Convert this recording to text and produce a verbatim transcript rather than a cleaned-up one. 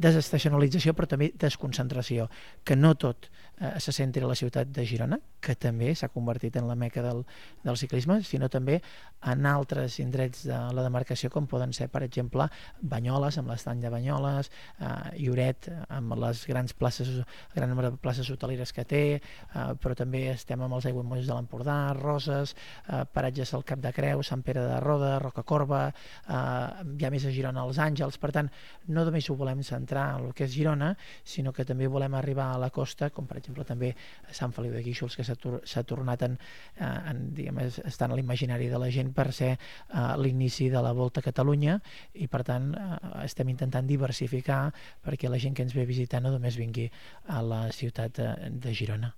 desestacionalització, però també desconcentració, que no tot eh, se centri a la ciutat de Girona, que també s'ha convertit en la meca del, del ciclisme, sinó també en altres indrets de la demarcació, com poden ser, per exemple, Banyoles, amb l'estany de Banyoles, eh, Lloret, amb les grans places, gran nombre de places hoteleres que té, eh, però també estem amb els aiguamolls de l'Empordà, Roses, eh, paratges al Cap de Creu, Sant Pere de Roda, Rocacorba, eh, hi ha més a Girona els Àngels. Per tant, no només ho volem centrar en el que és Girona, sinó que també volem arribar a la costa, com per exemple també Sant Feliu de Guíxols, que s'ha tor s'ha tornat en, en, diguem, estan a l'imaginari de la gent per ser uh, l'inici de la Volta a Catalunya, i per tant uh, estem intentant diversificar perquè la gent que ens ve a visitar no només vingui a la ciutat de, de Girona.